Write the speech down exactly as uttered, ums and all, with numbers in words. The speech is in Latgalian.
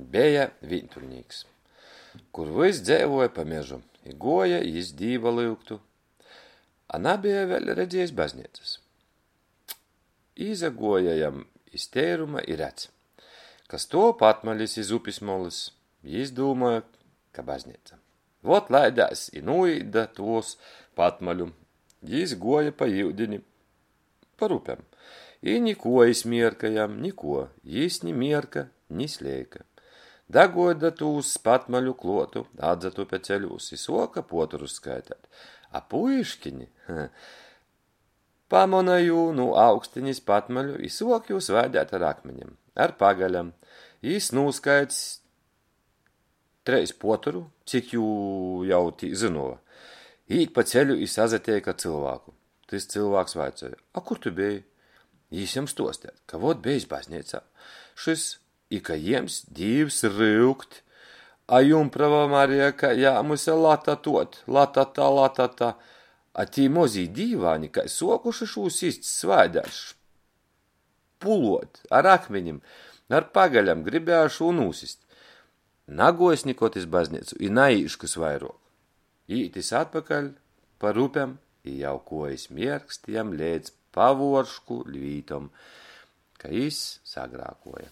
Beja vīntuļnīks, kur vys dzeivuoja pa mežu, i guoja jis Dīva lyugtu, a nabeja vēļ redziejs bazneicys. Izaguoja jam iz teiruma i redz, ka stuov patmalis iz upis molys. Jis dūmuoja, ka bazneica. Vot laidēs i nūīt da tūs patmaļu. Jis guoja pa iudini, par upem. I nikuo iz mierka jam, nikuo. Jis ni mierka, ni sleika. Daguoja da tūs patmaļu kluotu, atsatupe ceļūs i suoka puotorus skaiteit. A puiškini pamona jū nu augstenis patmaļu i suok jū svaideit ar akminim, ar pagalem. Jis nūskaits treis puotoru, cik jū jau tī zynova. Īt pa ceļu i sasateik ar cylvāku. Tys cylvāks vaicoj: "A kur tu beji?" Jis jam stuosta, ka vot bejs bazneicā šys i ka jiems Dīvs ryukt, a jumprava Marija kai jāmuse latatuot, latata, latata, a tī mozī dīvāni kai suokuši šū sist, svaideit, špuluot ar akminim, ar pagalem, gribēja šū nūsist. Naguojs nikod iz bazneicu i naīškys vairuok. Īt jis atpakaļ par upem i jau kuojis mierkst jam leidz pavuoršku vītom, ka jis sagrākuoja.